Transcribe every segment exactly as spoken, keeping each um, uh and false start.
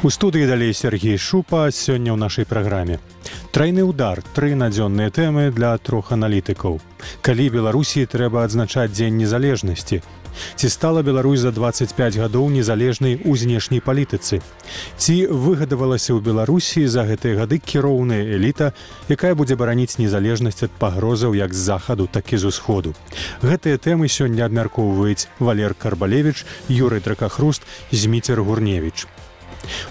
У студыі далей Сергей Шупа. Сёння ў нашай праграме. Трайны ўдар. Тры надзённыя тэмы для трох аналітыкаў. Калі Беларусі трэба адзначаць Дзень незалежнасці? Ці стала Беларусь за дваццаць пяць гадоў незалежнай у знешняй палітыцы? Ці выгадавалася ў Беларусі за гэтыя гады кіроўная эліта, якая будзе бараніць незалежнасць ад пагрозаў як з захаду, так і з усходу? Гэтыя тэмы сёння абмяркоўваюць Валер Карбалевіч, Юрый Дракахруст, Зміцер Гурневіч.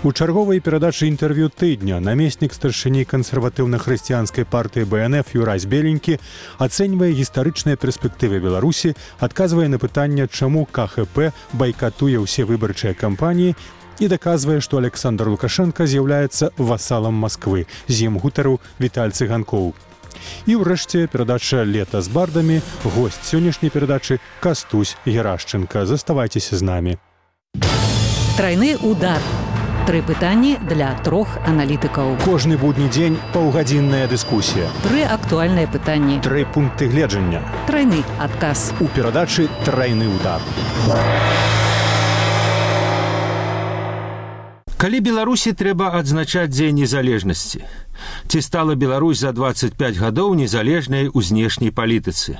У чарговай перадачы інтэрв'ю тыдня намеснік старшыні кансерватыўна-хрысціянскай партыі Бэ Эн Эф Юрась Беленькі ацэньвае гістарычныя перспектывы Беларусі, адказвае на пытанне, чаму Ка Ха Пэ байкатуе ўсе выбарчыя кампаніі і даказвае, што Александр Лукашенка з'яўляецца васалам Масквы, з ім гутарыў Віталь Цыганкоў. І ўрэшце перадача «Лета з бардамі», госць сённяшняй перадачы Кастусь Герашченка. Заставайцеся з намі. Трайны удар. Тры пытанні для трох аналітыкаў. Кожны будні дзень паўгадзінная дыскусія. Тры актуальныя пытанні. Тры пункты гледжання. Трайны адказ. У перадачы «Трайны удар». Калі Беларусі трэба адзначаць Дзень незалежнасці? Ці стала Беларусь за дваццаць пяць гадоў незалежнай у знешняй палітыцы?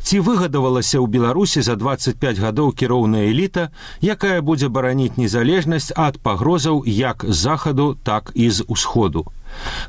Ці выгадавалася ў Беларусі за дваццаць пяць гадоў кіроўная эліта, якая будзе бараніць незалежнасць ад пагрозаў як з захаду, так і з усходу?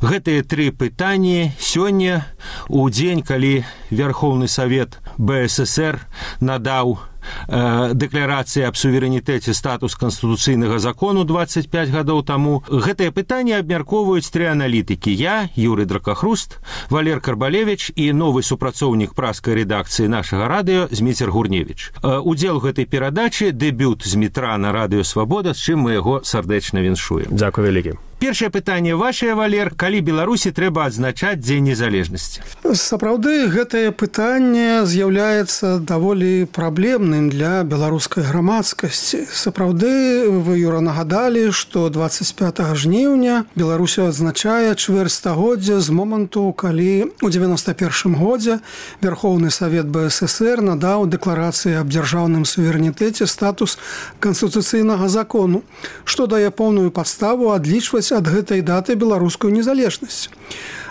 Гэтыя тры пытанні сёння, у дзень, калі Верхоўны Савет Бэ Эс Эс Эр надаў э, дэкларацыі аб суверэнітэце статус канстытуцыйнага закону дваццаць пяць гадоў таму, гэтыя пытанні абмяркоўваюць тры аналітыкі. Я, Юрый Дракахруст, Валер Карбалевіч і новы супрацоўнік праскай рэдакцыі нашага радыё Зміцер Гурневіч. Э, удзел гэтай перадачы дэбют Змітра на радыё Свабода, з чым мы яго сардэчна віншуем. Дзякуй вялікі. Першае пытанне вашае, Валер, калі Беларусі трэба адзначаць Дзень незалежнасці? Сапраўды, гэтае пытанне з'яўляецца даволі праблемным для беларускай грамадскасці. Сапраўды, вы, Юра, нагадалі, што дваццаць пятага жніўня Беларусь адзначае чвэрць стагоддзя з моманту, калі ў дзевяноста першым годзе Верхоўны Савет Бэ Эс Эс Эр надаў дэкларацыі аб дзяржаўным суверэнітэце статус канстытуцыйнага закону, што дае поўную падставу адлічваць ад гэтай даты беларускую незалежнасць.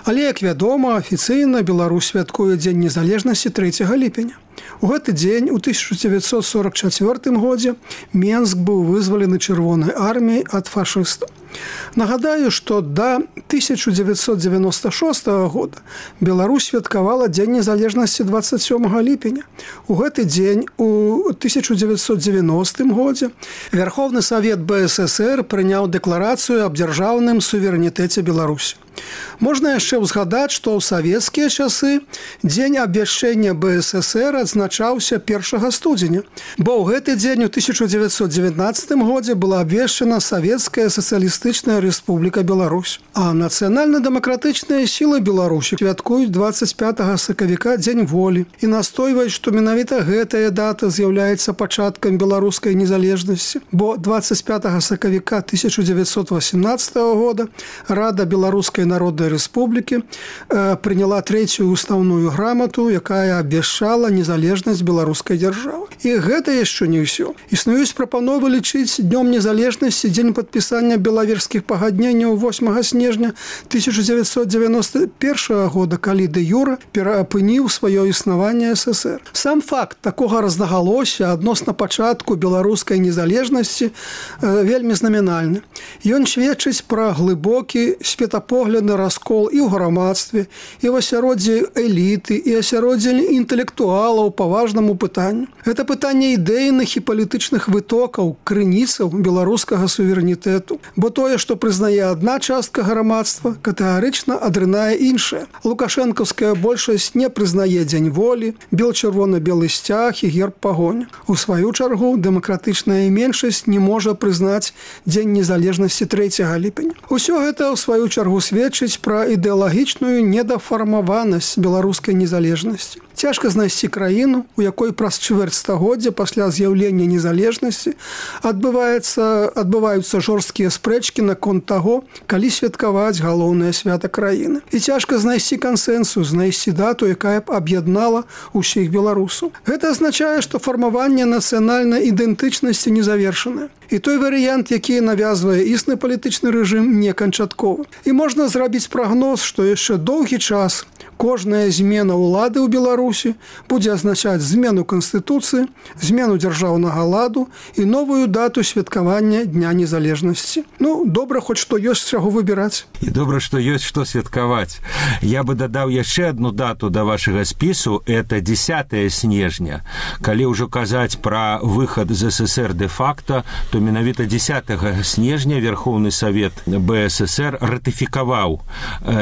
Але, як вядома, афіцыйна Беларусь святкуе Дзень незалежнасці трэцяга ліпеня. У гэты дзень у тысяча дзевяцьсот сорок чацвёртым годзе Менск быў вызвалены чырвонай арміяй ад фашыстаў. Нагадаю, што да тысяча дзевяцьсот дзевяноста шостага года Беларусь святкавала Дзень незалежнасці дваццаць сёмага ліпеня. У гэты дзень у тысяча дзевяцьсот дзевяностым годзе Верхоўны Савет Бэ Эс Эс Эр прыняў дэкларацыю аб дзяржаўным суверэнітэце Беларусі. Можна яшчэ ўзгадаць, што ў савецкія часы Дзень абвяшчэння Бэ Эс Эс Эр адзначаўся першага студзеня, бо ў гэты дзень у тысяча дзевяцьсот дзевятнаццатым годзе была абвешчана Савецкая сацыялістычная рэспубліка Беларусь. А нацыянальна-дэмакратычныя сілы Беларусі святкуюць дваццаць пятага сакавіка Дзень волі і настойваюць, што менавіта гэтая дата з'яўляецца пачаткам беларускай незалежнасці, бо дваццаць пятага сакавіка тысяча дзевяцьсот васямнаццатага года Рада Беларускай Народнай Рэспублікі э, прыняла трэцюю устаўную грамату, якая абвяшчала незалежнасць беларускай дзяржавы. І гэта яшчэ не ўсё. Існуюць прапановы лічыць днём незалежнасці дзень падпісання белаверскіх пагадненняў восьмага снежня тысяча дзевяцьсот дзевяноста першага года, калі дэ-юрэ пераапыніў сваё існаванне Эс Эс Эр. Сам факт такога рознагалосся адносна пачатку беларускай незалежнасці э, вельмі знамінальны. Ён сведчыць пра глыбокі светапогляд на раскол і ў грамадстве, і ў асяроддзі эліты, і асяроддзі інтэлектуалаў па важнаму пытанню. Гэта пытанне ідэйных і палітычных вытокаў, крыніцаў беларускага суверэнітэту, бо тое, што прызнае адна частка грамадства, катэгарычна адрынае іншая. Лукашэнкаўская большасць не прызнае Дзень волі, бел-чырвона-белы сцяг і герб пагоня. У сваю чаргу дэмакратычная меншасць не можа прызнаць Дзень незалежнасці трэцяга ліпеня. Усё гэта ў сваю чаргу сведчыць пра ідэалагічную недафармаванасць беларускай незалежнасці. Цяжка знайсці краіну, у якой праз чвэрць стагоддзя пасля з'яўлення незалежнасці адбываецца, адбываюцца жорсткія спрэчкі наконт таго, калі святкаваць галоўнае свята краіны. І цяжка знайсці кансэнсус, знайсці дату, якая б аб'яднала ўсіх беларусаў. Гэта азначае, што фармаванне нацыянальнай ідэнтычнасці не завершанае. І той варыянт, які навязвае існы палітычны рэжым, не канчатковы. І можна зрабіць прагноз, што яшчэ доўгі час кожная змена ўлады ў Беларусі будзе азначаць змену Канстытуцыі, змену дзяржаўнага ладу і новую дату святкавання Дня незалежнасці. Ну, добра, хоць што ёсць чаго выбіраць. І добра, што ёсць што святкаваць. Я бы дадаў яшчэ одну дату да вашага спісу, это дзесятое снежня. Калі ўжо казаць пра выхад з СССР де-факта, то менавіта дзесятага снежня Верховны Савет БССР ратыфікаваў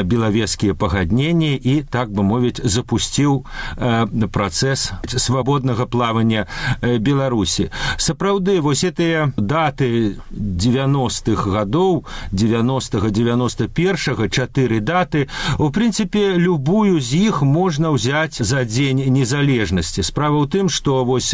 белавежскія пагадненні і, так бы мовіць, запусціў працэс свабоднага плавання Беларусі. Сапраўды, вось гэтыя даты девяностых гадоў, девяностага девяносто першага, чатыры даты, у прынцыпе, любую з іх можна ўзяць за дзень незалежнасці. Справа ў тым, што вось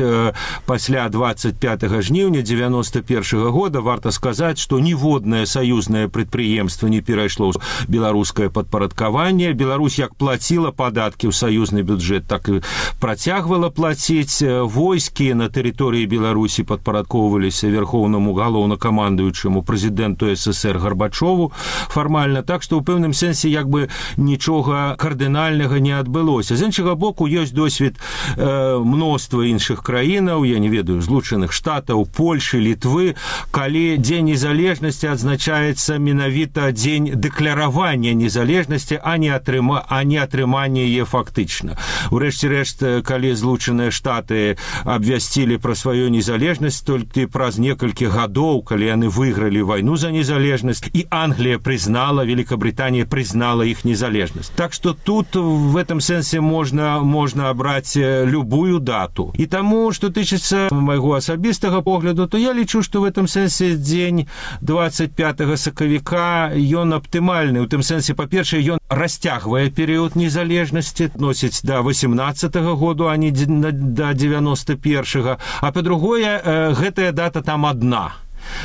пасля двадцать пятого жніўня девяносто першага года варта сказаць, што ніводнае саюзнае прадпрыемства не перайшло ў беларускае падпарадкаванне. Беларусь як плаціла падаткі ў саюзны бюджэт, так і працягвала плаціць. Войскі на тэрыторыі Беларусі падпарадкоўваліся верхоўнаму галоўнакамандуючаму прэзідэнту СССР Гарбачову фармальна, так што ў пэўным сэнсе як бы нічога кардынальнага не адбылося. З іншага боку, ёсць досвед э, мноства іншых краінаў, я не ведаю, Злучаных Штатаў, Польшы, Літвы, калі Дзень незалежнасці адзначаецца менавіта дзень дэкляравання незалежнасці, а не атрыма, а не атрымання яе фактычна. Урэшце рэшт, калі Злучаныя Штаты абвясцілі пра сваю незалежнасць толькі праз некалькі гадоў, калі яны выйгралі вайну за незалежнасць, і Англія прызнала, Великобритания признала іх незалежнасць. Так што тут в этом сэнсе можна, можна абраць любую дату. І таму, што тычыцца майго асабістага погляду, то я лічу, што в этом сэнсе дзень двадцать пятого сакавіка ён аптымальны. У тым сэнсе, па-першае, ён расцягвае перыяд незалежнасці, носіць да восемнадцатого году, а не да девяносто первого. А па-другое, гэтая дата там адна.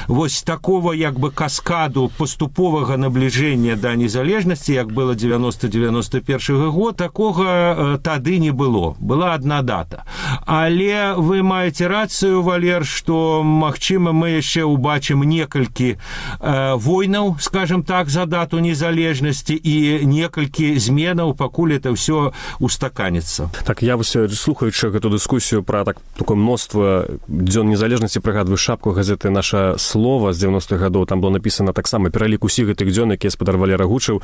Вось такого як бы каскаду паступовага набліжэння да незалежнасці, як было девяносто девяносто первого год, такога э, тады не было. Была одна дата. Але вы маеце рацыю, Валер, што, магчыма, мы яшчэ убачым некалькі э, войнаў, скажем так, за дату незалежнасці і некалькі зменаў, пакуль это ўсё устаканецца. Так, я вось, слухаючы гэту дыскусію пра так, такое мноства дзён незалежнасці, прыгадваю шапку газеты «Наша слова» з девяностых гадоў, там было написано таксама пералік усіх гэтых дзён, якія спадар Валера гучыў,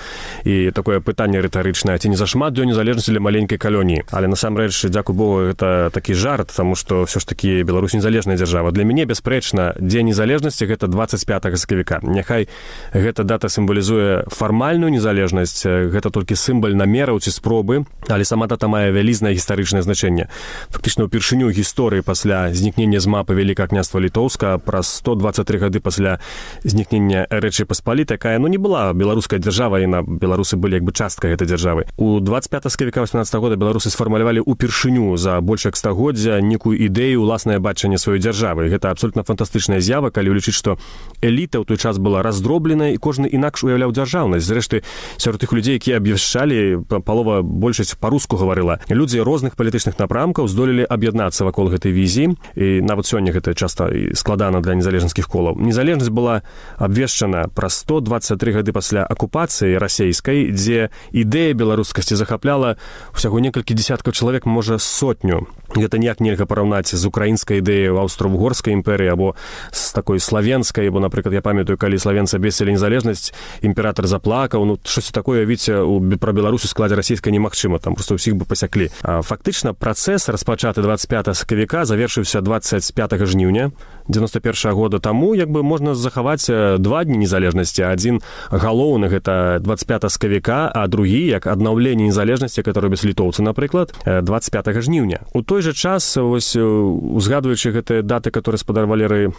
і такое пытанне рытарычнае: ці не зашмат дзён незалежнасці для маленькай калоніі? Але насамрэч, дзякуй Богу, гэта такі жарт, таму што ўсё ж такі Беларусь незалежная дзяржава. Для мяне бясспрэчна дзень незалежнасці гэта двадцать пятого сакавіка. Няхай гэта дата сімвалізуе фармальную незалежнасць, гэта толькі сімвал намераў ці спробы, але сама дата мае вялізнае гістарычнае значэнне. Фактычна ўпершыню гісторыі пасля знікнення з мапы Вялікага княства Літоўска праз сто двадцать три гады пасля знікнення Рэчы Паспалітай, якая, ну, не была беларускай дзяржавай, і на беларусы былі як бы часткай гэтай дзяржавы. У двадцать пятого сакавіка восемнадцатого года беларусы сфармулявалі ўпершыню за больш як стагоддзя некую ідэю, уласнае бачанне сваёй дзяржавы. Гэта абсолютна фантастычная з'ява, калі улічыць, што эліта ў той час была раздробленая і кожны інакш уяўляў дзяржаўнасць. Зрэшты, сярод тых людзей, якія абвяшчалі, палова большасць па-руску гаварыла. Людзі розных палітычных напрамкаў здолелі аб'яднацца вакол гэтай візіі, і нават сёння гэта часта складана для незалежніцкіх колаў. Незалежнасць была абвешчана праз сто двадцать три гады пасля акупацыі расейскай, дзе ідэя беларускасці захапляла усяго некалькі дзесяткаў чалавек, можа, сотню. Гэта ніяк нельга параўнаць з украінскай ідэяй аўстра-угорскай імперыі або з такой славенскай, бо, напрыклад, я памятаю, калі славенцы абвесцілі незалежнасць, імператар заплакаў. Ну, штось такое, видите, пра Беларусь у складзе расійскай немагчыма, там проста ўсіх бы пасяклі. А фактычна працэс, распачаты двадцать пятого сакавіка, завершыўся двадцать пятого жніўня девяносто первого года. Таму як бы можна захаваць два дні незалежнасці. Адзін галоўны гэта двадцать пятого сакавіка, а другі як аднаўленне незалежнасці, якое робяць літоўцы, напрыклад, двадцать пятого жніўня. У той жа час, вось узгадваючы гэтыя даты, которые спадар Валеры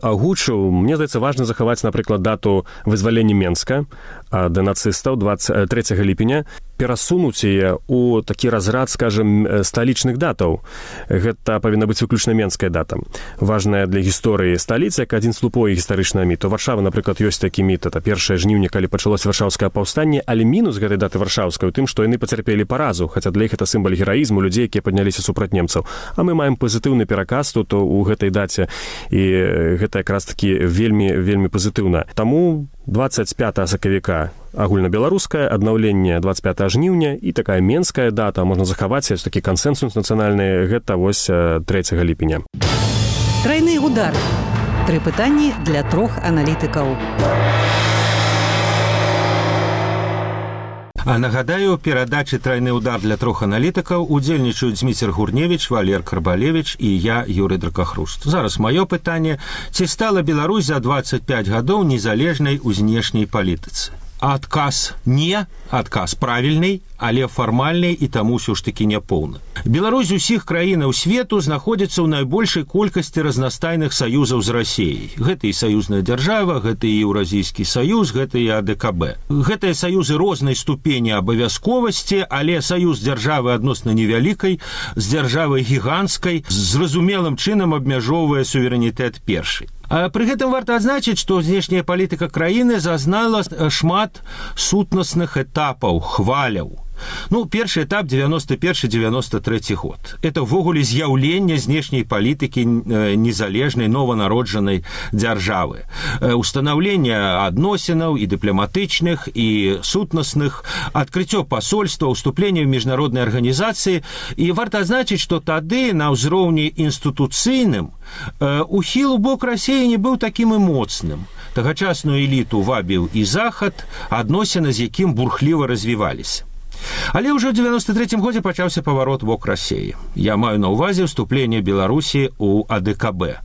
агучыў, мне здаецца важна захаваць, напрыклад, дату вызвалення Менска ад нацыстаў двадцать трэцяга ліпеня. перасунуць яе у такі разрад, скажем, сталічных датаў. Гэта павінна быць выключна менская дата. Важная для гісторыі сталіцы, як адзін з слупой гістарычнага міту. Варшава, напрыклад, ёсць такі міт, это першае жніўня, калі пачалося варшаўскае паўстанне, але мінус гэтай даты варшаўскай у тым, што яны пацярпелі паразу, хаця для іх это сімвал гераізму людзей, якія падняліся супраць немцаў. А мы маем пазітыўны пераказ тут у гэтай даце, і гэта якраз такі вельмі вельмі пазітыўна. Таму дваццаць пятага сакавіка агульнабеларускае, аднаўленне дваццаць пятага жніўня і такая менская дата, можна захаваць такі кансэнсус нацыянальны, гэта вось трэцяга ліпеня. Трайны удар. Тры пытанні для трох аналітыкаў. А нагадаю, перадачы «Трайны удар» для трох аналітыкаў удзельнічаюць Зміцер Гурневіч, Валер Карбалевіч і я, Юрый Дракахруст. Зараз маё пытанне. Ці стала Беларусь за дваццаць пяць гадоў незалежнай у знешняй палітыцы? Адказ не, адказ правільны, але фармальны і таму ўсё ж такі няпоўны. Беларусь з усіх краінаў свету знаходзіцца ў найбольшай колькасці разнастайных саюзаў з Расіяй. Гэта і саюзная дзяржава, гэта і Еўразійскі саюз, гэта і А Дэ Ка Бэ. Гэтыя саюзы рознай ступені абавязковасці, але саюз дзяржавы адносна невялікай, з дзяржавай гіганцкай, зразумелым чынам абмяжоўвае суверэнітэт першай. А пры гэтым варта адзначыць, што знешняя палітыка краіны зазнала шмат сутнасных этапаў, хваляў. Ну, першы этап девяносто первый девяносто третий год. Это ввогуле з'яўленне знешняй палітыкі незалежнай, нованароджанай дзяржавы. Устанаўленне адносінаў і дыпламатычных, і сутнасных, адкрыццё пасольства, уступленне ў міжнароднай арганізацыі. І варта адзначыць, што тады на ўзроўні інстытуцыйным ухіл у бок Расіі не быў такім і моцным. Тагачасную эліту вабіў і захад, адносіны з якім бурхліва развіваліся. Але ўжо ў девяносто третьем годзе пачаўся паварот бок Расіі. Я маю на ўвазе ўступленне Беларусі ў А Дэ Ка Бэ.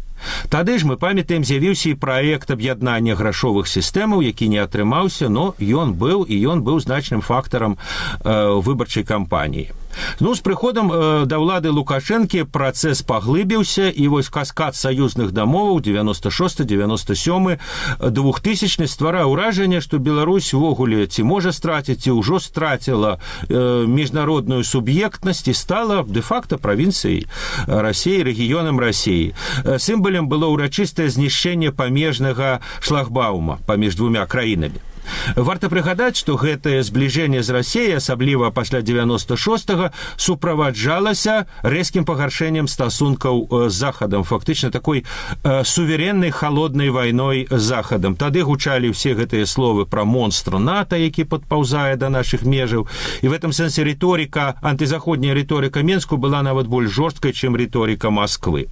Тады ж мы памятаем, з'явіўся і праект аб'яднання грашовых сістэмаў, які не атрымаўся, но ён быў, і ён быў значным фактарам э, выбарчай кампаніі. Ну, з прыходам э, да ўлады Лукашэнкі працэс паглыбіўся, і вось каскад саюзных дамоваў девяносто шесты девяносто сёмы двухтысячны стварае ўражанне, што Беларусь увогуле ці можа страціць, ці ўжо страціла э, міжнародную суб'ектнасць і стала дэ-факта правінцыяй Расіі, рэгіёнам Расіі. Сімвалам было ўрачыстае знішчэнне памежнага шлагбаума паміж двумя краінамі. Варта прыгадаць, што гэтае збліжэнне з Расіяй, асабліва пасля девяносто шостага, суправаджалася рэзкім пагаршэннем стасункаў з Захадам, фактычна такой э, сувереннай халоднай вайной з Захадам. Тады гучалі ўсе гэтыя словы пра монстр НАТО, які падпаўзае да нашых межаў. І в этом сэнсе рыторыка, антызаходняя рыторыка Менску была нават больш жорсткай, чым рыторыка Масквы.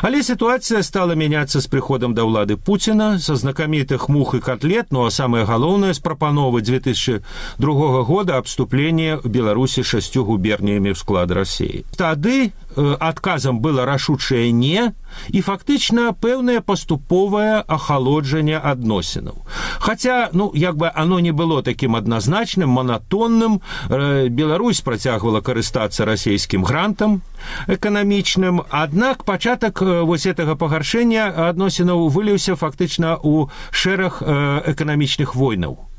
Але сітуацыя стала мяняцца з прыходам да ўлады Пуціна, са знакамітых мух і котлет, ну а самае галоўнае з прапановы две тысячи другого года абступлення Беларусі шасцю губерніямі ў склад Расіі. Тады э, адказам было рашучае не, і фактычна пэўнае паступовае ахалоджанне адносінаў. Хаця, ну, як бы оно не было такім адназначным, монатонным, э, Беларусь працягвала карыстацца расійскім грантам эканамічным, аднак пачатак э, вось гэтага пагаршэння адносінаў выліўся фактычна ў шэраг э, эканамічных войнаў.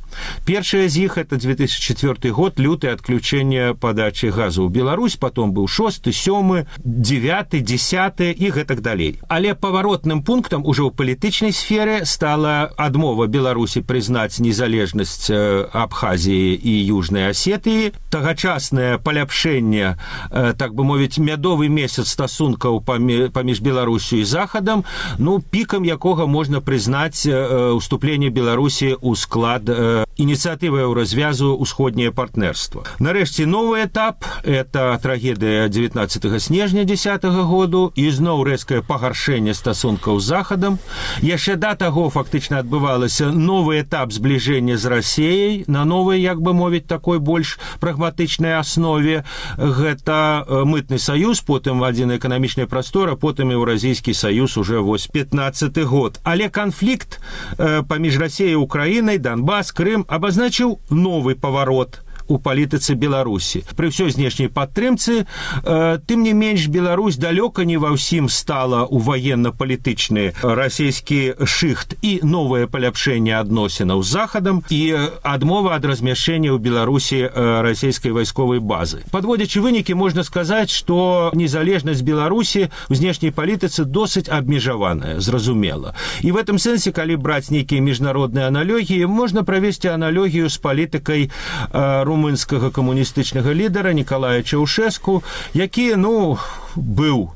Першая з іх это две тысячи четвёрты год, лютае адключэнне падачы газу ў Беларусь, потом быў шосты, сёмы, девяты, десяты і гэтак далей. Але паваротным пунктам ужо ў палітычнай сферы стала адмова Беларусі прызнаць незалежнасць Абхазіі і Южнай Асетыі, тагачаснае паляпшэнне, так бы мовіць, мядовы месяц стасункаў паміж Беларусю і Захадам, ну, пікам якога можна прызнаць уступленне Беларусі ў склад ініцыятывы ў развязу ўсходняе партнерства. Нарэшце новы этап – это трагедыя дзевятнаццатага снежня дзесятага году і зноў рэзкае пагаршэнне стасункаў з Захадам. Яшчэ да таго фактычна адбывалася новы этап збліжэння з Расіяй на новай, як бы мовіць, такой больш прагматычнай аснове. Гэта мытны саюз, потым адзіная эканамічная прастора, потым Еўразійскі саюз уже вось пятнаццаты год. Але канфлікт паміж Расіяй і Украінай, Донбас, Крым абазначыў новы паварот у палітыцы Беларусі. Пры ўсёй знешняй падтрымцы, э, тым не менш Беларусь далёка не ва ўсім стала ў военно-палітычны расійскі шыхт і новае паляпшэнне адносінаў з Захадам і адмова ад размяшчэння ў Беларусі расійскай вайсковай базы. Падводзячы вынікі, можна сказаць, што незалежнасць Беларусі ў знешняй палітыцы досыць абмежаваная, зразумела. І в этом сэнсе, калі браць нейкія міжнародныя аналогіі, можна правесці аналогію з палітыкай э, румынскага камуністычнага лідара Нікалая Чаўшэску, які, ну, быў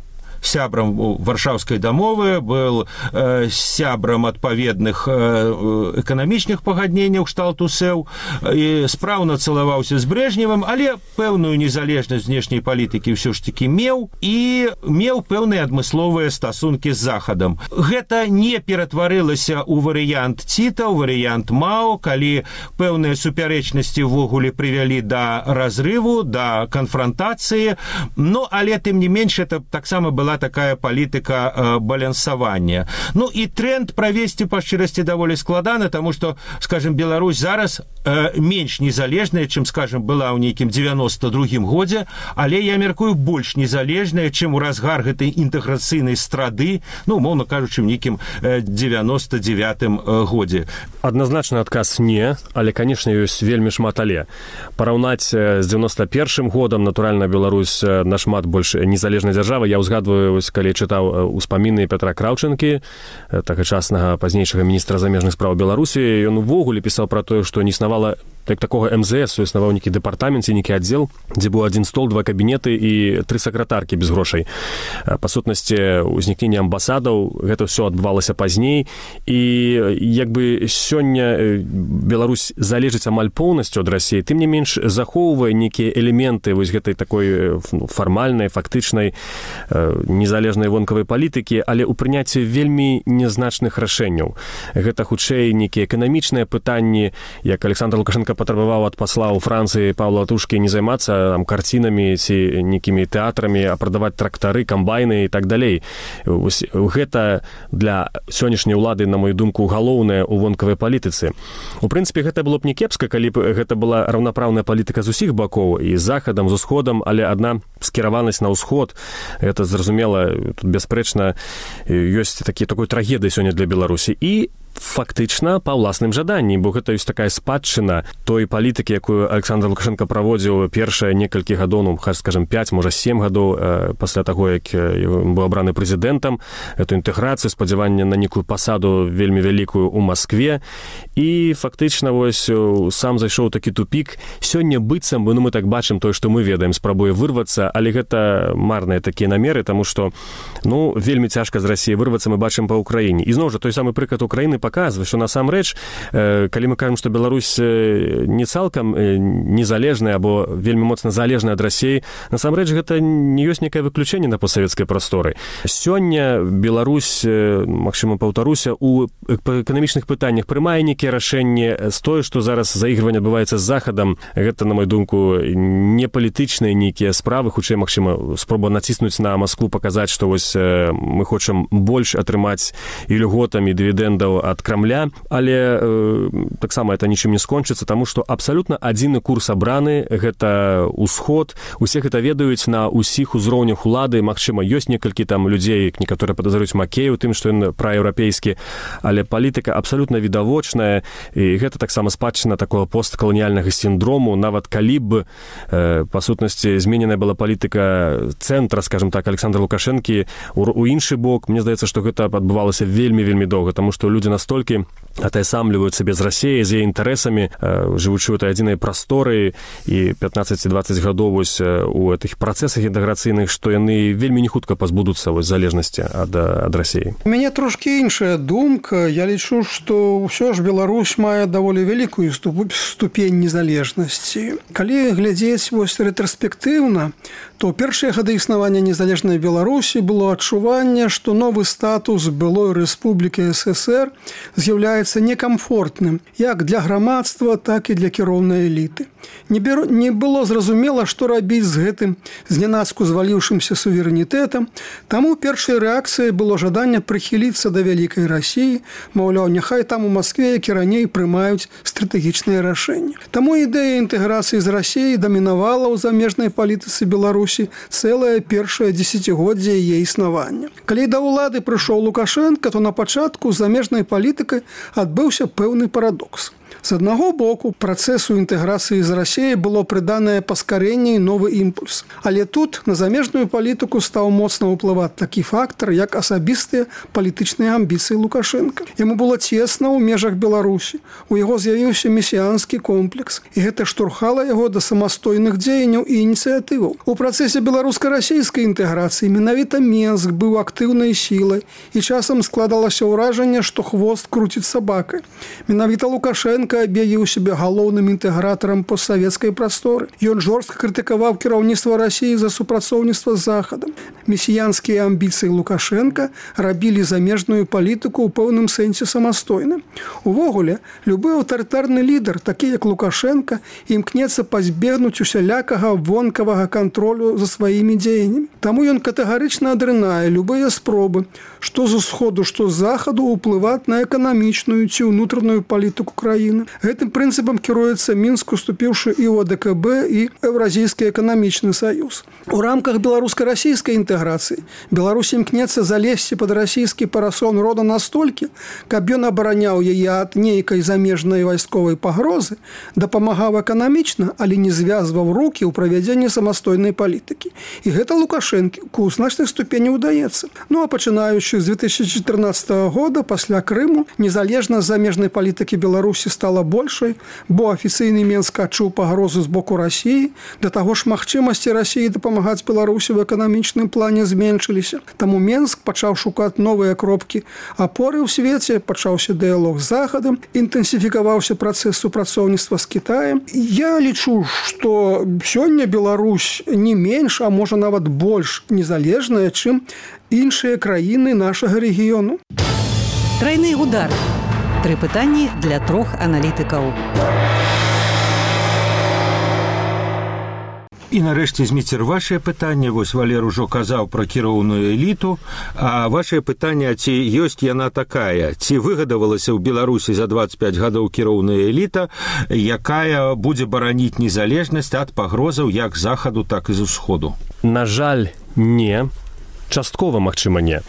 сябрам варшаўскай дамовы, был э, сябрам адпаведных э, эканамічных пагадненняў кшталту СЭУ і спраўна цалаваўся з Брэжневым, але пэўную незалежнасць знешняй палітыкі ўсё ж такі меў і меў пэўныя адмысловыя стасункі з Захадам. Гэта не ператварылася ў варыянт Ціта, ў варыянт Мао, калі пэўныя супярэчнасці ўвогуле прывялі да разрыву, да канфрантацыі, но але тым не менш это таксама была такая палітыка э, балансавання. Ну і тренд правесці па шчырасці даволі складана, таму што, скажем, Беларусь зараз э, менш незалежная, чым, скажем, была ў нейкім девяносто другім годзе, але я мяркую больш незалежная, чым у разгар гэтай інтэграцыйнай страды, ну, умоўна кажучы, ў нейкім э, девяносто девятым э, годзе. Адназначны адказ не, але, канешне, ёсць вельмі шмат але. Параўнаць з девяносто первым годам, натуральна, Беларусь нашмат больш незалежная дзяржава. Я ўзгадваю, вось, калі чытаў успаміны Петра Краўчынкі, тагачаснага пазнейшага міністра замежных спраў Беларусі, ён увогуле пісаў пра тое, што не існавала так такога эм зэ эс, існаваў нейкі дэпартамент, нейкі аддзел, дзе быў адзін стол, два кабінеты і тры сакратаркі без грошай. Па сутнасці, узнікнення амбасадаў, гэта ўсё адбывалася пазней, і як бы сёння Беларусь залежыць амаль поўнасцю ад Расіі, тым не менш захоўвае нейкія элементы вось гэтай такой ну, фармальнай, фактычнай, незалежнай вонкавай палітыкі, але ў прыняцці вельмі нязначных рашэнняў. Гэта хутчэй нейкія эканамічныя пытанні, як Александр Лукашенко патрабаваў ад пасла ў Францыі Паўла Тушкі не займацца там карцінамі ці нейкімі тэатрамі, а прадаваць трактары, камбайны і так далей. Гэта для сённяшняй улады, на мою думку, галоўнае ў вонкавай палітыцы. У прынцыпе, гэта было б не кепска, калі б гэта была раўнапраўная палітыка з усіх бакоў, і з захадам, з усходам, але адна скіраванасць на ўсход, гэта зразумела, тут бясспрэчна ёсць такі такой трагедыі сёння для Беларусі. І фактычна па ўласным жаданні, бо гэта ёсць такая спадчына той палітыкі, якую Александр Лукашенко праводзіў першыя некалькі гадоў, ну, скажем, пяць, можа, сем гадоў э, пасля таго, як ён быў абраны прэзідэнтам, эту інтэграцыю, спадзяванне на нейкую пасаду вельмі вялікую ў Маскве, і фактычна вось сам зайшоў такі тупік. Сёння быццам, ну, мы так бачым тое, што мы ведаем, спрабуе вырвацца, але гэта марныя такія намеры, таму што, ну, вельмі цяжка з Расіі вырвацца, мы бачым па Ўкраіне. І зноў жа той самы прыклад Украіны показвае, што насамрэч, калі мы кажам, што Беларусь не цалкам незалежная або вельмі моцна залежная ад Расіі, насамрэч гэта не ёсць некае выключэнне на постсавецкай прасторы. Сёння Беларусь, магчыма, паўтаруся, у эканамічных пытаннях прымае нейкія рашэнні з тое, што зараз заігрыванне адбываецца з Захадам. Гэта, на мою думку, не палітычныя нейкія справы, хутчэй, магчыма, спроба націснуць на Маскву, паказаць, што вось мы хочам больш атрымаць і льготамі дывідэндаў ад Крамля, але э, таксама это нічым не скончыцца, таму што абсалютна адзіны курс абраны, гэта ўсход, усе гэта ведаюць на ўсіх узроўнях улады, магчыма, ёсць некалькі там людзей, некаторыя падазруюць Макею тым, што ён праеўрапейскі, але палітыка абсалютна відавочная, і гэта таксама спадчына такого посткаланіяльнага сіндрому, нават калі б э, па сутнасці змененая была палітыка цэнтра, скажем так, Александра Лукашэнкі у, у іншы бок, мне здаецца, што гэта адбывалася вельмі-вельмі доўга, таму што людзі настолькі атаясамліваюць сабе з Расіяй, з яе інтарэсамі, жывучы ў этой адзінай прасторы і пятнаццаць-дваццаць гадоў вось у гэтых працэсах інтэграцыйных, што яны вельмі не хутка пазбудуцца вось залежнасці ад, ад Расіі. У мяне трошкі іншая думка. Я лічу, што ўсё ж Беларусь мае даволі вялікую ступень незалежнасці. Калі глядзець вось рэтраспектыўна, то ў першыя гады існавання незалежнай Беларусі было адчуванне, што новы статус былой рэспублікі эс эс эр з'яўляецца некамфортным як для грамадства, так і для кіроўнай эліты. Не, беру, не было зразумела, што рабіць з гэтым знянацку зваліўшымся суверэнітэтам, таму першай рэакцыяй было жаданне прыхіліцца да вялікай Расіі, маўляў, няхай там у Маскве, як і раней, прымаюць стратэгічныя рашэнні. Таму ідэя інтэграцыі з Расіяй дамінавала ў замежнай палітыцы Беларусі цэлае першае дзесяцігоддзе яе існавання. Калі да ўлады прыйшоў Лукашенко, то на пачатку з замежнай палітыкай адбыўся пэўны парадокс. З аднаго боку, працэсу інтэграцыі з Расіяй было прыданае паскарэнне і новы імпульс. Але тут на замежную палітыку стаў моцна ўплываць такі фактар, як асабістыя палітычныя амбіцыі Лукашенка. Яму было цесна ў межах Беларусі. У яго з'явіўся месіянскі комплекс, і гэта штурхала яго да самастойных дзеянняў і ініцыятываў. У працэсе беларуска-расійскай інтэграцыі менавіта Менск быў актыўнай сілай, і часам складалася ўражанне, што хвост круціць сабакай. Менавіта Лукашенка аб'явіў сябе галоўным інтэгратарам постсавецкай прасторы. Ён жорстка крытыкаваў кіраўніцтва Расіі за супрацоўніцтва з Захадам. Месіянскія амбіцыі Лукашенка рабілі замежную палітыку ў пэўным сэнсе самастойным. Увогуле, любы аўтарытарны лідар, такі як Лукашенка, імкнецца пазбегнуць усялякага вонкавага кантролю за сваімі дзеяннямі. Таму ён катэгарычна адрынае любыя спробы, што з усходу, што з захаду ўплываць на эканамічную ці ўнутраную палітыку краіны. Гэтым прынцыпам кіруецца Мінск, уступіўшы і ў АДКБ, і Еўразійскі эканамічны саюз. У рамках беларуска-расійскай інтэграцыі Беларусь імкнецца залезці пад расійскі парасон рода настолькі, каб ён абараняў яе ад нейкай замежнай вайсковай пагрозы, дапамагаў эканамічна, але не звязваў рукі ў правядзенні самастойнай палітыкі. І гэта Лукашэнку ў значнай ступені ўдаецца. Ну а пачынаючы з две тысячи чатырнаццатага года, пасля Крыму, незалежнасць замежнай палітыкі Беларусі стала большай, бо афіцыйны Менск адчуў пагрозу з боку Расіі, да таго ж магчымасці Расіі дапамагаць Беларусі в эканамічным плане зменшыліся. Таму Менск пачаў шукаць новыя кропкі апоры ў свеце, пачаўся дыялог з Захадам, інтэнсіфікаваўся працэс супрацоўніцтва з Кітаем. Я лічу, што сёння Беларусь не менш, а можа нават больш незалежная, чым іншыя краіны нашага рэгіёну. Трайны удар. Тры пытанні для трох аналітыкаў. І нарэшце, Зміцер, вашае пытанне. Вось Валер ужо казаў пра кіроўную эліту, а вашае пытанне, ці ёсць яна такая, ці выгадавалася ў Беларусі за двадцять пять гадоў кіроўная эліта, якая будзе бараніць незалежнасць ад пагрозаў як з захаду, так і з усходу? На жаль, не. Часткова, магчыма, не.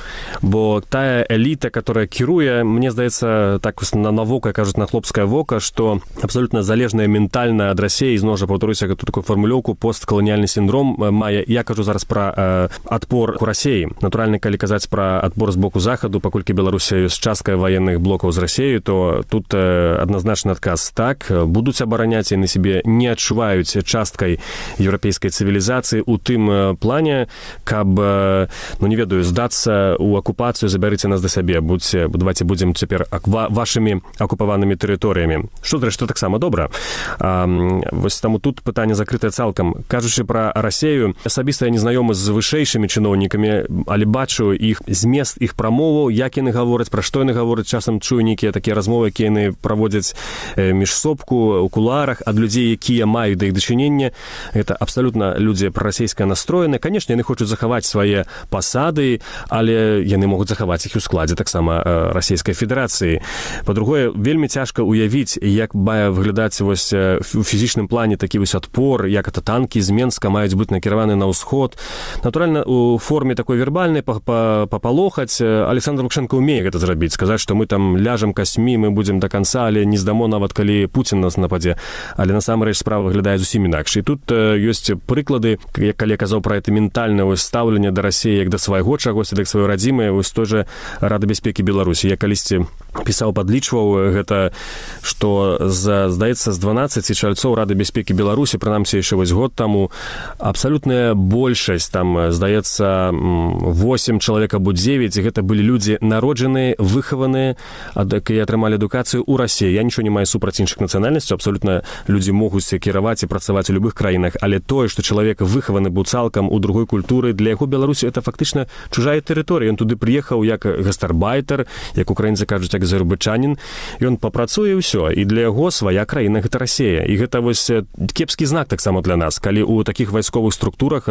Бо тая эліта, которая кіруе, мне здаецца, так на, на вока, кажуць, на хлопскае вока, што абсолютна залежная ментальна ад Расіі, зноў жа паўтаруся гэту такую фармулёўку, посткаланіяльны сіндром мае. Я кажу зараз пра э, адпор у Расіі. Натуральна, калі казаць пра адпор з боку захаду, паколькі Беларусі ёсць частка ваенных блокаў з Расіяй, то тут э, адназначны адказ так. Будуць абараняць, яны сябе не адчуваюць часткай еўрапейскай цывілізацыі у тым плане, каб э, ну, не ведаю, здацца ў акупацыю, забярыце нас да сябе, будьце, давайте будзем цяпер вашымі акупаванымі тэрыторыямі. Што, зрэшты, таксама добра. А, вось таму тут пытанне закрытае цалкам. Кажучы пра Расею, асабіста я не знаёмы з вышэйшымі чыноўнікамі, але бачу іх змест іх прамоваў, як яны гавораць, пра што яны гавораць, часам чую нейкія такія размовы, якія яны праводзяць міжсобку, у кулуарах, ад людзей, якія маюць да іх дачынення. Гэта абсалютна людзі прарасійска настроены. Канешне, яны хочуць захаваць свае пасады, але яны могуць захаваць іх у складзе таксама Расійскай Федэрацыі. Па-другое, вельмі цяжка уявіць, як мае выглядаць вось у фізічным плане такі вось адпор, як это танкі з Менска маюць быць накіраваны на ўсход. Натуральна, у форме такой вербальнай папалохаць. Александр Лукашенко умее гэта зрабіць, сказаць, што мы там ляжам касьмі, мы будзем да канца, але не здамо нават, калі Пуцін нас нападзе. Але насамрэч справа выглядае зусім інакш. І тут ёсць прыклады, калі я казаў пра гэта ментальнае стаўленне да Расіі як да свайго чагосьці, як сваёй радзімай, вось той жа Рада бяспекі Беларусі. Я калісьці пісаў, падлічваў гэта, што, за, здаецца, з дванаццаці чальцоў Рады бяспекі Беларусі, прынамсі яшчэ вось год таму, абсалютная большасць, там, здаецца, восемь чалавек або дзевяць, гэта былі людзі народжаныя, выхаваныя, якія атрымалі адукацыю ў Расіі. Я нічого не маю супраць іншых нацыянальнасцяў, абсалютна людзі могуць кіраваць і працаваць у любых краінах, але тое, што чалавек выхаваны быў цалкам у другой культуры, для яго Беларусі это фактычна фактычна чужая тэрыторыя. Ён туды прыехаў як гастарбайтер, як украінцы кажуць, як зарубачанін. Ён папрацуе ўсё, і для яго свая краіна гэта Расія. І гэта вось кепскі знак таксама для нас, калі ў такіх вайсковых структурах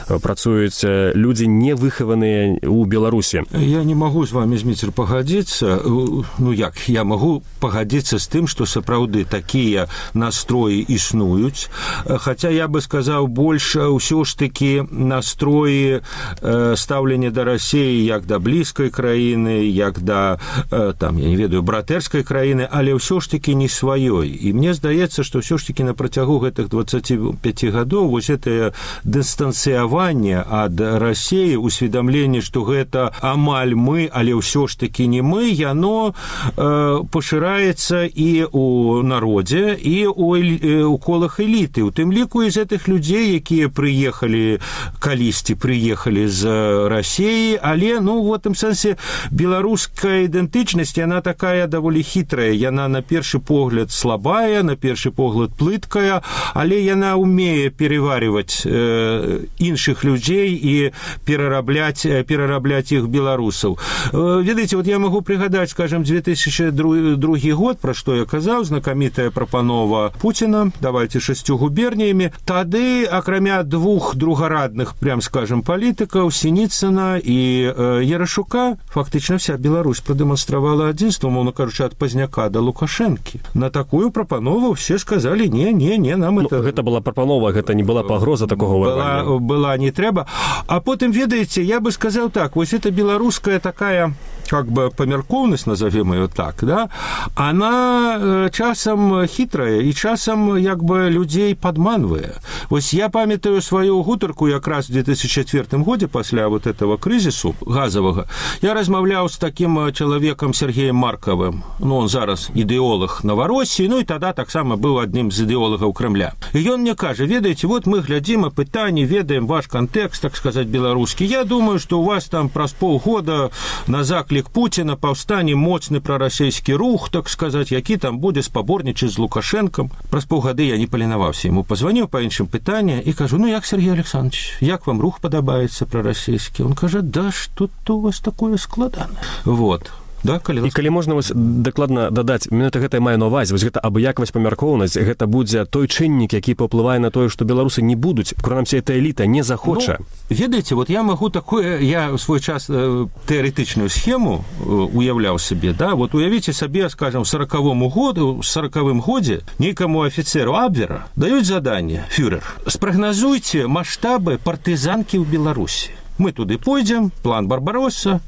працуюць людзі не выхаваныя ў Беларусі. Я не могу з вами, Зміцер, пагадзіцца. Ну як, я могу пагадзіцца з тым, што сапраўды такія настроі існуюць, хаця я бы сказаў больш ўсё ж такі настроі э, стаўлення да Расіі як да блізкай краіны, як да э, там, я не ведаю, братэрскай краіны, але ўсё ж такі не сваёй. І мне здаецца, што ўсё ж такі на працягу гэтых дваццаці пяці гадоў вось гэтае дыстанцыяванне ад Расіі, усведамленне, што гэта амаль мы, але ўсё ж такі не мы, яно э, пашыраецца і ў народзе, і ў колах эліты, у тым ліку і з гэтых людзей, якія прыехалі калісьці прыехалі з Расіі, але ну в гэтым сэнсе беларуская ідэнтычнасць, яна такая даволі хітрая, яна на першы погляд слабая, на першы погляд плыткая, але яна умее пераварваць э, іншых людзей і перарабляць перарабляць іх беларусаў. Э, ведаеце, вот я могу прыгадаць, скажем, две тысячи другі год, пра што я казаў, знакамітая прапанова Пуціна, давайте шасцю губерніямі. Тады, акрамя двух другарадных, прям скажем, палітыкаў, Сініцына і э, Ярашука, фактычна вся Беларусь прадэманстравала адзінства, мовна кажучы, ад Пазняка да Лукашэнкі. На такую прапанову все сказалі: не, не, не, нам ну, это... Гэта была прапанова, гэта не была пагроза такого была, варвання. Была, не трэба. А потым, ведаеце, я бы сказаў так, вось это беларуская такая, как бы памяркоўнасць, назовем ее так, да, она часам хитрая и часам як бы людей падманвае. Вось я памятаю сваю гутарку якраз в две тысячи четвёртым годзе пасля вот этого крызісу газовага. Я размаўляў з таким чалавекам Сергеем Марковым. Ну, он зараз ідэолог Новороссии, ну и тогда таксама быў адным з ідэолагаў Кремля. И ён мне кажа: ведаеце, вот мы глядзім апытанні, ведаем ваш контекст, так сказать, беларускі. Я думаю, что у вас там праз полгода на заклік Путина паўстане моцны прарасійскі рух, так сказать, які там будзе спаборнічаць з Лукашэнкам. Праз паўгады я не паленаваўся ему, позвонил по іншым пытання и кажу: ну як, Сергей Александрович, як вам рух падабаецца прарасійскі? Он кажа: да что-то у вас такое складанае. Вот. Да, калі... І калі можна вось дакладна дадаць, менавіта гэта мае на ўвазе, вось гэта абыякавасць, памяркоўнасць, гэта будзе той чыннік, які паўплывае на тое, што беларусы не будуць, прынамсі эта эліта не захоча. Ну, ведаеце, вот я магу такое, я ў свой час э, тэарэтычную схему э, уяўляў сабе, да, вот уявіце сабе, скажем, в сорокавым году, в сорокавым годзе нейкаму афіцеру Абвера даюць заданне: фюрер, спрагназуйце маштабы партызанкі ў Беларусі. Мы туды пойдзем, план Барбаросса,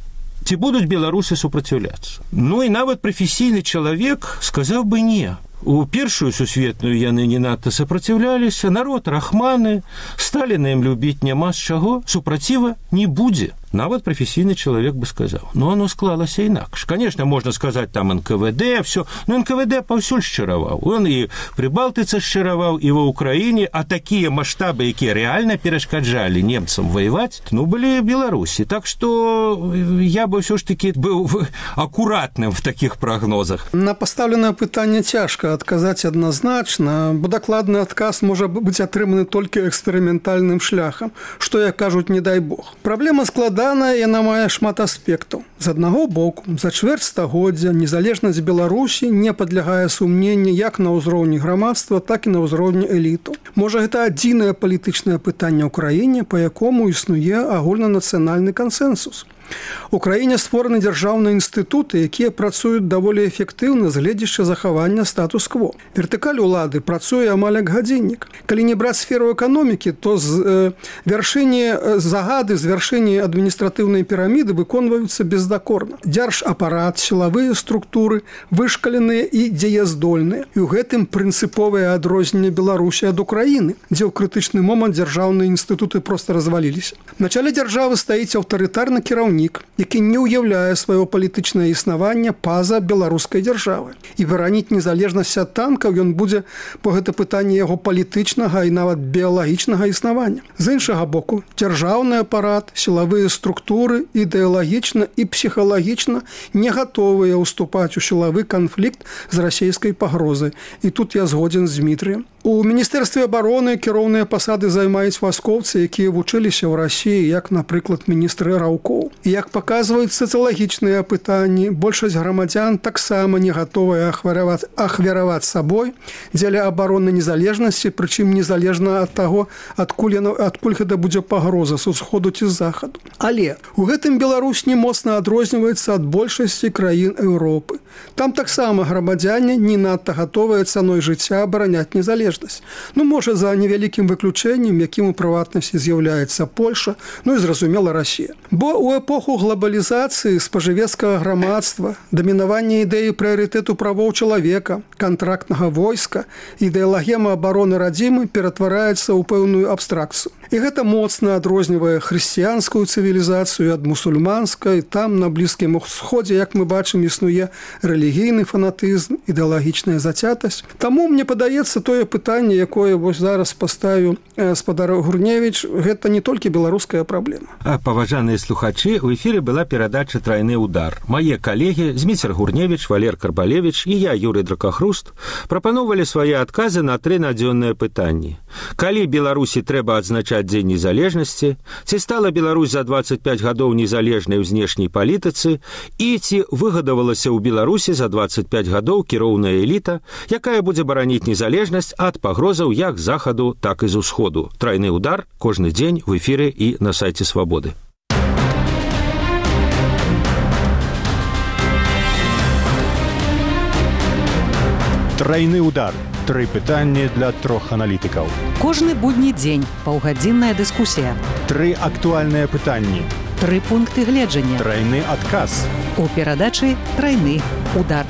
ці будуць беларусы супраціўляцца. Ну і нават прафесійны чалавек сказаў бы не. У першую сусветную яны не надта супраціўляліся, народ рахманы, Сталіна ім любіць няма з чаго, супраціва не будзе. Нават прафесійны чалавек бы сказаў. Но оно склалася інакш. Конечно, можна сказаць, там эн ка вэ дэ, все. Но эн ка вэ дэ паўсюль шчыраваў. Он і пры Балтыцы шчыраваў, і ва Ўкраіне, а такія маштабы, якія рэальна перашкаджалі немцам воеваць, ну, былі Беларусі. Так што я бы ўсё ж такі быў акуратным в такіх прагнозах. На пастаўленае пытанне цяжка адказаць адназначна, бо дакладны адказ можа быць атрыманы толькі эксперыментальным шляхам, што, як кажуць, не дай бог. Праблема складаная, яна мае шмат аспектаў. З аднаго боку, за чвэрць стагоддзя незалежнасць Беларусі не падлягае сумненню як на ўзроўні грамадства, так і на ўзроўні эліту. Можа, гэта адзінае палітычнае пытанне ў краіне, па якому існуе агульнанацыянальны кансэнсус. У краіне створаны дзяржаўныя інстытуты, якія працуюць даволі эфектыўна з гледзяча захавання статус-кво. Вертыкаль улады працуе амаль як гадзіннік. Калі не браць сферу эканомікі, то з э, вяршыні загады, з вяршыні адміністратыўнай піраміды выконваюцца бездакорна. Дзяржапарат, сілавыя структуры вышкаленыя і дзеяздольныя. І ў гэтым прынцыповае адрозненне Беларусі ад Украіны, дзе ў крытычны момант дзяржаўныя інстытуты проста разваліліся. На чале дзяржавы стаіць аўтарытарны кіраўнік, які не ўяўляе сваё палітычнае існаванне па-за беларускай дзяржавы. І бараніць незалежнасць ад танкаў ён будзе па гэта пытанне яго палітычнага і нават біялагічнага існавання. З іншага боку, дзяржаўны апарат, сілавыя структуры ідэалагічна і псіхалагічна не гатовыя ўступаць у сілавы канфлікт з расійскай пагрозай. І тут я згодзін з Дмітрыем. У міністэрстве абароны кіроўныя пасады займаюць вайскоўцы, якія вучыліся ў Расіі, як, напрыклад, міністры Раўкоў. Як паказваюць сацыялагічныя апытанні, большасць грамадзян таксама не гатовая ахвяраваць, ахвяраваць сабой дзеля абароны незалежнасці, прычым незалежна ад таго, адкуль, яно, адкуль гэта будзе пагроза з усходу ці з захаду. Але у гэтым Беларусь не моцна адрозніваецца ад большасці краін Еўропы. Там таксама грамадзяне не надта гатовыя цаной жыцця абараняць незалежнасць. Ну, можа, за невялікім выключэннем, якім у прыватнасці з'яўляецца Польша, ну і, зразумела, Расія. Бо ў эпоху глобалізацыі спажывецкага грамадства, дамінавання ідэі прыярытэту правоў чалавека, кантрактнага войска, ідэалагема абароны радзімы ператвараецца ў пэўную абстракцыю. І гэта моцна адрознівае хрысціянскую цывілізацыю ад мусульманскай. Там, на Блізкім Усходзе, як мы бачым, існуе рэлігійны фанатызм, ідэалагічная зацятасць. Таму, мне падаецца, тое пытанне, якое вось зараз паставіў спадар Гурневіч, гэта не толькі беларуская праблема. А, паважаныя слухачы, у эфіры была перадача «Трайны удар». Мае калегі Зміцер Гурневіч, Валер Карбалевіч і я, Юрый Дракахруст, прапановалі свае адказы на тры надзённыя пытанні. Калі Беларусі трэба адзначаць Дзень незалежнасці, ці стала Беларусь за дваццаць пяць гадоў незалежнай у знешняй палітыцы і ці выгадавалася ў Беларусі за дваццаць пяць гадоў кіроўная эліта, якая будзе бараніць незалежнасць ад пагрозаў як з захаду, так і з усходу. Трайны удар кожны дзень в эфіры і на сайце Свабоды. Трайны удар. Тры пытанні для трох аналітыкаў. Кожны будні дзень паўгадзінная дыскусія. Тры актуальныя пытанні. Тры пункты гледжання. Трайны адказ. У перадачы «Трайны удар».